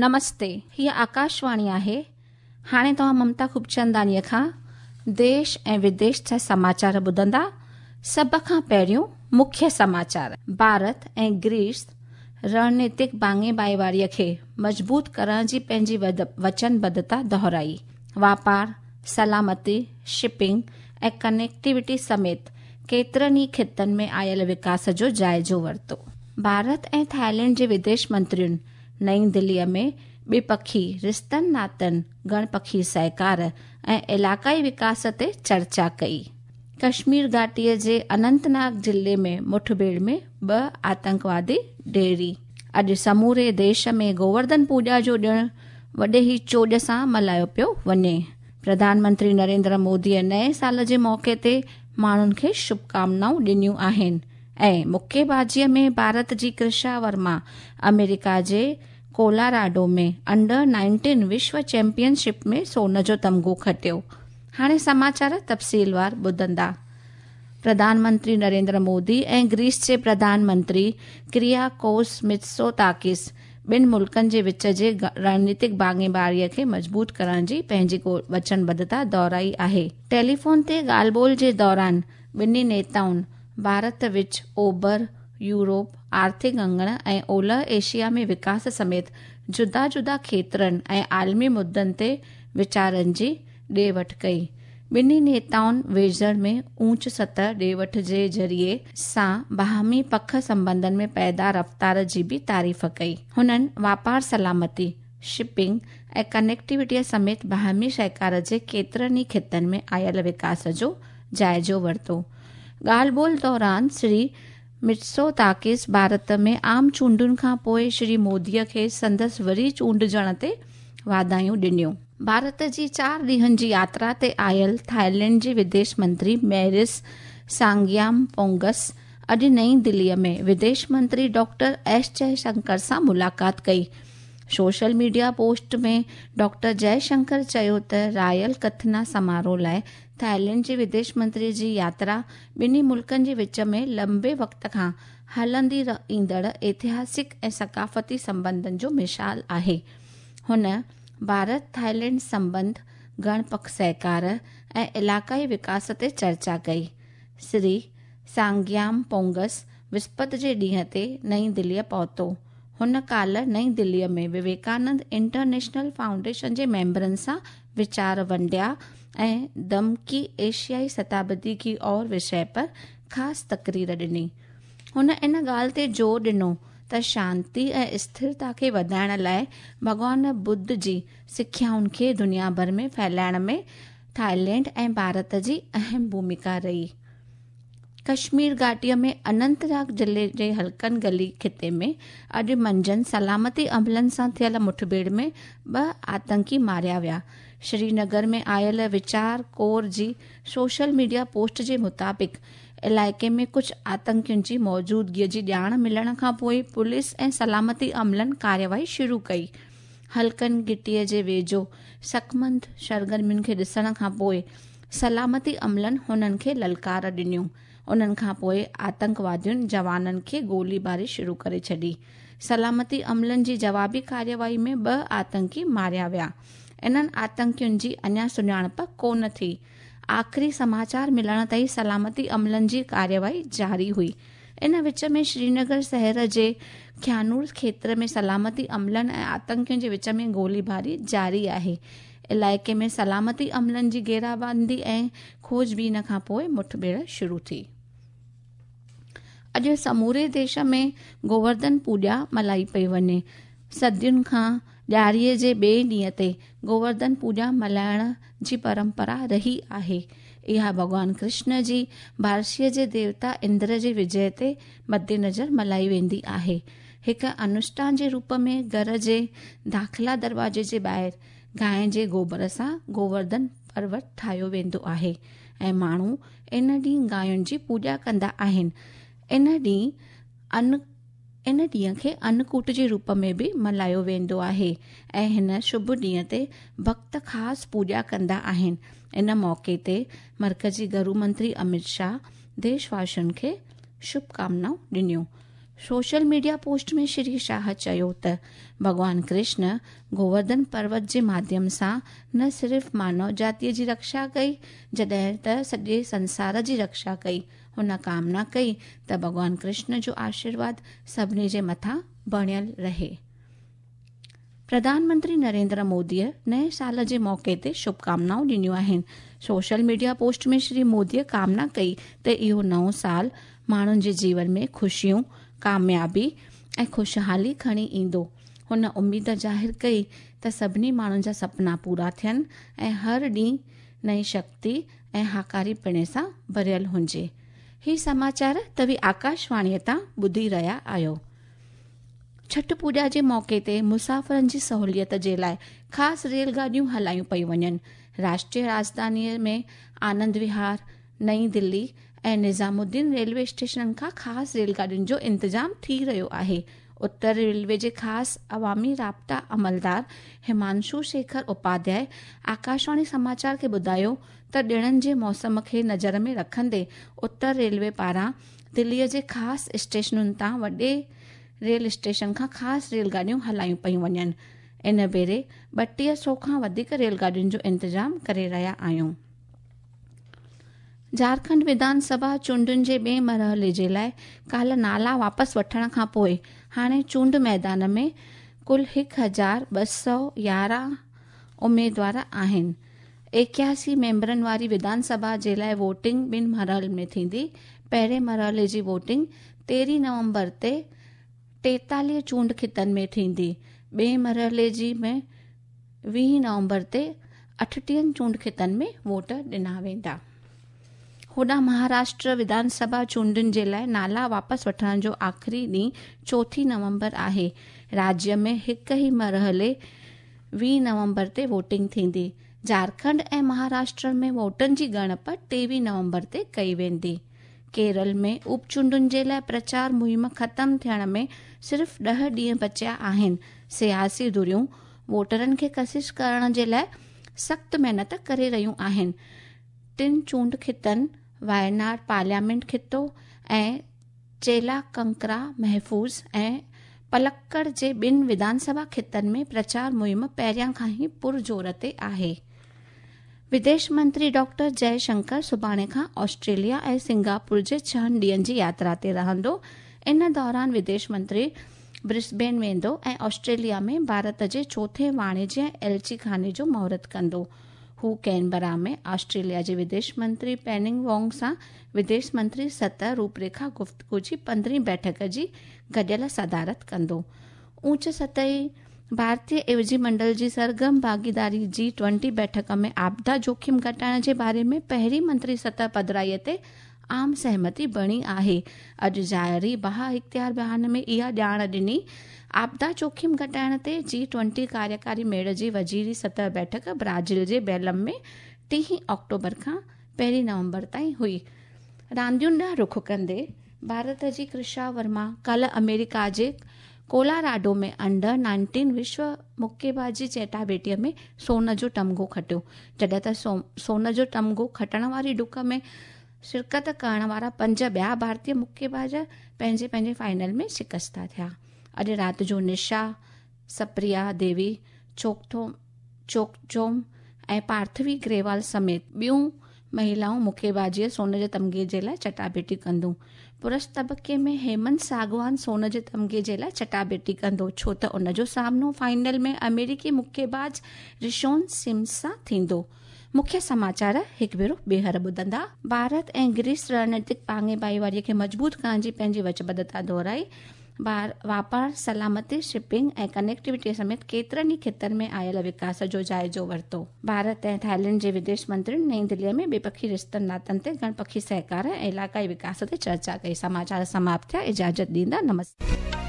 نمستي، هيء آڪاشواڻي آهي. هاڻي توهان ممتا خوبچنداڻيء کان ديش ۽ وديش جا سماچار ٻڌندا. سڀ کان پهريون مکيه سماچار. ڀارت ۽ گريس رڻنيتڪ ڀاڱي ڀائيواريء کي مضبوط ڪرڻ جي پنهنجي وچنبڌتا دهرائي. واپار، سلامتي، شپنگ ۽ ڪنيڪٽيوٽي سميت ڪيترن ئي خطن ۾ آيل وڪاس جو جائزو ورتو. ڀارت ۽ ٿائيلينڊ جي وديش منترين نئين دليء ۾ ٻپکي رشتن ناتن، گهڻ پکي سهڪار ۽ علائقائي وڪاس تي چرچا ڪئي. ڪشمير گهاٽيء جي اننت ناگ ضلعي ۾ مٺڀيڙ ۾ ٻه آتنڪوادي ڍيري. اڄ سموري ديش ۾ گوورڌن پوڄا جو ڏڻ وڏي ئي چوڄ سان ملهايو پيو وڃي. پرڌان منتري نريندر موديء نئين سال جي موقعي تي ماڻهن کي شڀڪامنائون ڏنيون آهن ۽ مڪي بازيء ۾ ڀارت جي ڪرشا ورما آمريڪا جي ڪولاراڊو ۾ انڊر نائنٽين وشو چيمپيئن شپ ۾ سون جو تمغو کٽيو. هاڻي سماچار تفصيلوار ٻڌندا. پرڌان منتري نريندر مودي ۽ گريس جي پرڌان منتري ڪرياڪوس متسوتاڪس ٻن ملڪن جي وچ جي رڻنيتڪ ڀاڱيواريء کي مضبوط ڪرڻ جي پنهنجي وچنبڌتا دهرائي آهي. ٽيليفون تي ڳالهه ٻولهه جي دوران ٻنهي نيتائن ڀارت وچ اوڀر يورپ آرٿڪ اڱڻ ۽ اولهه ايشيا ۾ وڪاس سميت جدا جدا کيترن ۽ عالمي مدعن تي ويچارن جي ڏي وٺ ڪئي. ٻنهي نيتائن ويجهڙ ۾ اوچ سطح ڏي وٺ جي ذريعي سان باهمي پک سنٻنڌن ۾ پيدا رفتار جي به تعريف ڪئي. هنن واپار سلامتي، شپنگ ۽ ڪنيڪٽيوٽيء سميت باهمي سهڪار جي ڪيترن ئي خطن ۾ آيل وڪاس جو جائزو ورتو. ڳالهه ٻولهه دوران شري مٽسوتاڪس ڀارت ۾ عام چونڊن کان پوء شري موديء کي سندس وري چونڊجڻ تي واڌايون ڏنيون. ڀارت جي چار ڏينهن جي ياترا تي آيل ٿائيلينڊ جي وديش منتري ميرس سانگيام پونگس اڄ نئين دليء ۾ وديش منتري ڊاڪٽر ايس جئه شنڪر سان ملاقات ڪئي. سوشل ميڊيا پوسٽ ۾ ڊاڪٽر جئه شنڪر چيو ته رائل ڪٿنا سماروهه لاء ٿائيلينڊ جي وديش منتري جي ياترا ٻنهي ملڪن جي وچ ۾ لنبي وقت کان هلندي ايندڙ ايتهاسڪ ۽ ثقافتي سنٻنڌن جو مثال آهي. هن ڀارت ٿائيلينڊ سنٻنڌ، گهڻ پک سهڪار ۽ علائقائي وڪاس تي چرچا ڪئي. سري سانگيام پونگس وسپت جي ڏينهن تي نئين دليء پهتو. هن ڪالهه نئين دليء ۾ وويڪانند انٽرنيشنل فائونڊيشن جي ميمبرن سان ويچار ونڊيا ۽ دمڪي ايشيائي شتابدي ڪي اور وشيه پر خاص تقرير ڏني. هن ان ڳالهه تي زور ڏنو ته شانتي ۽ اسٿرتا کي وڌائڻ لاء ڀڳوان ٻڌ جي سکيائن کي دنيا ڀر ۾ ڦهلائڻ ۾ ٿائيلينڊ ۽ ڀارت جي اهم ڀوميڪا رهي. ڪشمير گهاٽيء ۾ اننت ناگ ضلعي جي هلڪن گلي خطي ۾ اڄ منجهند سلامتي عملن سان ٿيل مٺڀيڙ ۾ ٻه آتنڪي ماريا ويا. سرينگر ۾ آيل ويچار ڪور جي سوشل ميڊيا پوسٽ جي مطابق علائقي ۾ ڪجهه آتنڪين جي موجودگيء جي ڄاڻ ملڻ کانپوء پوليس ۽ سلامتي عملن ڪارروائي شروع ڪئي. هلڪن گهٽيء جي ويجهو شڪمند سرگرمين کي ڏسڻ کانپوء سلامتي عملن هنن کي للڪار ڏنيون. انهن کانپوء آتنڪوادين جوانن کي گولي باري شروع ڪري ڇڏي. سلامتي عملن جي جوابي ڪارروائي ۾ ٻه آتنڪي ماريا ويا. انهن آتنڪين جي اڃا سڃاڻپ ڪونه ٿي. آخري سماچار ملڻ تائين سلامتي عملن جي ڪارروائي جاري هئي. ان وچ ۾ سرينگر شهر جي کيانور کيتر ۾ سلامتي عملن ۽ آتنڪين جي وچ ۾ گولي باري جاري آهي. علائقي ۾ سلامتي عملن جي گهيرابندي ۽ کوج بين کانپوء مٺڀيڙ شروع ٿي. اڄ سموري ديش ۾ گوورڌن پوڄا ملهائي پئي وڃي. صدين کان ڏياريء جي ٻئي ڏينهن تي گوورڌن پوڄا ملهائڻ جي پرمپرا رهي آهي. اها ڀڳوان ڪرشن جي بارشيء جي ديوتا اندر جي وجئه تي مدنظر ملهائي ويندي آهي. هڪ انوشٺان جي روپ ۾ گهر جي داخلا دروازي جي ٻاهر گانء جي گوبر سان گوورڌن پروت ٺاهيو ويندو آهي ۽ ماڻهو ان ڏينهن گانين جي پوڄا ڪندا آهن. ان ڏينهن ان ان ڏينهن کي انڪوٽ جي روپ ۾ به ملهايو ويندو آهي ۽ هن شڀ ڏينهن تي ڀڳت خاص پوڄا ڪندا آهن. ان موقعي تي مرڪزي گهرو منتري امت شاهه ديش واسين کي شڀ ڪامنائون ڏنيون. Social media post ۾ Shri Shah چيو ته ڀڳوان ڪرشن گوورڌن پروت جي ماڌيم سان نه صرف مانو جاتيءَ جي رڪشا ڪئي، جڏهن ته سڄي سنسار جي رڪشا ڪئي. هن ڪامنا ڪئي ته ڀڳوان ڪرشن جو آشيرواد سڀني جي مٿان بڻيل رهي. پرڌان منتري نريندر موديءَ نئين سال جي موقعي تي شڀڪامنائون ڏنيون آهن. سوشل ميڊيا پوسٽ ۾ شري موديءَ ڪامنا ڪئي ته اهو نئون سال ماڻهن جي جيون ۾ خوشيون، ڪاميابي ۽ خوشحالي کڻي ايندو. هن اميد ظاهر ڪئي ته سڀني ماڻهن جا سپنا پورا ٿين ۽ هر ڏينهن نئين شڪتي ۽ هاڪاري پڻي سان ڀريل هجي. هي سماچار توهين آڪاشواڻيءَ تان ٻڌي رهيا آهيو. ڇٺ پوڄا جي موقعي تي مسافرن جي سهوليت جي لاءِ خاص ريل گاڏيون هلايون پيون وڃن. راشٽريه راڄڌانيءَ ۾ آنند وهار، نئين دلي ۽ نظام الدين ريلوي اسٽيشنن کان خاص ريل گاڏين جو انتظام ٿي رهيو آهي. اتر ريلوي جي خاص عوامي رابطا عملدار همانشو شيکر اپاڌياءِ آڪاشواڻي سماچار کي ٻڌايو ته ڏڻن جي موسم کي نظر ۾ رکندي اتر ريلوي پاران دليءَ جي خاص اسٽيشنن تان وڏي ريل اسٽيشن کان خاص ريل گاڏيون هلايون پيون وڃن. ان ڀيري 3200 کان وڌيڪ ريل گاڏين جو انتظام ڪري رهيا آهيون. جهارکنڊ وڌان سڀا چونڊن جي ٻئي مرحلي جي لاءِ ڪالهه نالا واپس وٺڻ کان پوءِ هاڻي چونڊ ميدان ۾ ڪل 1211 اميدوار آهن. 81 ميمبرن واري وڌان سڀا جي لاءِ ووٽنگ ٻن مرحلن ۾ ٿيندي. پهرين مرحلي جي ووٽنگ 13 نومبر تي 43 چونڊ خطن ۾ ٿيندي. ٻئي مرحلي جي ۾ 20 نومبر تي 38 چونڊ خطن ۾ ووٽ ڏنا ويندا. هوڏانهن مهاراشٽر وڌان سڀا چونڊن جي لاءِ نالا واپس وٺڻ جو آخري ڏينهن 4 نومبر آهي. راجيه ۾ هڪ ئي مرحلي 20 نومبر تي ووٽنگ ٿيندي. جهارکنڊ ۽ مهاراشٽر ۾ ووٽن جي ڳڻپ 23 نومبر تي ڪئي ويندي. ڪيرل ۾ اپچونڊن جي لاءِ پرچار مهم ختم ٿيڻ ۾ صرف 10 ڏينهن بچيا آهن. سياسي ڌريون ووٽرن کي ڪشش ڪرڻ جي لاءِ سخت محنت ڪري رهيون آهن. ٽن چونڊ خطن وايناڊ پارليامينٽ خطو ۽ چيلا ڪنڪرا محفوظ ۽ پلڪڙ جي ٻن وڌان سڀا خطن ۾ پرچار مهم پهريان کان ئي پرزور تي آهي. وديش منتري ڊاڪٽر جئي شنڪر سڀاڻي کان آسٽريليا ۽ سنگاپور جي 6 ڏينهن جي ياترا تي رهندو. ان دوران وديش منتري برسبين ويندو ۽ آسٽريليا ۾ ڀارت جي چوٿين واڻجيه ايلچي خاني جو مهورت ڪندو. هو ڪينبرا ۾ آسٽريليا جي وديش منتري پيننگ وانگ سان وديش منتري سطح روپريکا گفتگو جي 15 بيٺڪ جي گڏيل صدارت ڪندو. اوچ سطحي ڀارتيه عيوضي منڊل جي سرگرم ڀاڳيداري G20 بيٺڪ ۾ آپدا جوکم گهٽائڻ جي باري ۾ پهرين منتري سطح پڌرائيءَ تي عام سهمتي بڻي آهي. اڄ جاري باها اختيار بيان ۾ اها ڄاڻ ڏني. آپدا جوکم گهٽائڻ تي G20 ڪاريڪاري ميڙ جي وزيري سطح بيٺڪ برازيل جي بيلم ۾ 3 آڪٽوبر کان 1 نومبر تائين هئي. راندين ڏانهن رخ ڪندي ڀارت جي ڪرشا ورما ڪالهه آمريڪا جي ڪولاراڊو ۾ انڊر 19 وشو مڪيبازي چٽاڀيٽيءَ ۾ سون جو تمغو کٽيو، جڏهن ته سون جو تمغو کٽڻ واري ڊڪ ۾ شرڪت ڪرڻ وارا 5 ٻيا ڀارتيه مڪيباز پنهنجي پنهنجي فائنل ۾ شڪستا ٿيا. اڄ رات جو نشا، سپريا ديوي، چوڪچوم ۽ پارٿوي گريوال سميت ٻيون مهلائون مڪيبازيءَ سون جي تمغي جي لاءِ چٽاڀيٽي ڪنديون. پرش طبقي ۾ هيمنت ساگوان سون جي تمغي جي لاءِ چٽاڀيٽي ڪندو، ڇو ته ان جو سامنو فائنل ۾ آمريڪي مڪيباز رشون سمس سان ٿيندو. مکيه سماچار هڪ ڀيرو ٻيهر ٻڌندا. ڀارت ۽ گريس رڻنيتڪ ڀاڱي ڀائيواريءَ کي مضبوط ڪرڻ جي پنهنجي وچبڌتا دهرائي. واپار، سلامتي، شپنگ ۽ ڪنيڪٽيوٽي سميت ڪيترن ئي خطن ۾ آيل وڪاس جو جائزو ورتو. ڀارت ۽ ٿائيلينڊ جي وديش منترين نئين دليءَ ۾ ٻپکي رشتن ناتن تي گهڻپکي سهڪار ۽ علائقائي وڪاس تي چرچا ڪئي. سماچار سماپت ٿيا. اجازت ڏيندا. نمستي.